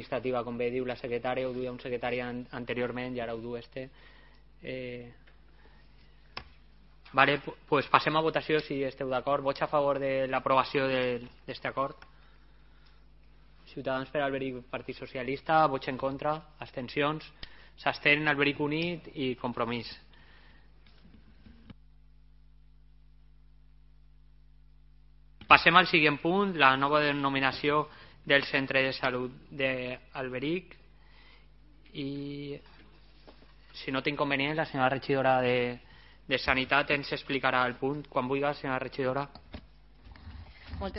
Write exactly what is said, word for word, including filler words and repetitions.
administrativa, com bé diu la secretària, ho duia un secretari an anteriorment i ara ho du este. Eh... Vale, pues passem a votació si esteu d'acord. Vots a favor de l'aprovació d'aquest acord? Ciutadans per Alberic, Partit Socialista. Vots en contra, abstencions. S'abstén Alberic Unit i Compromís. Passem al següent punt, la nova denominació del centre de salut d'Alberic. I si no té inconvenient, la senyora regidora de, de Sanitat ens explicarà el punt. Quan vulgui, senyora regidora.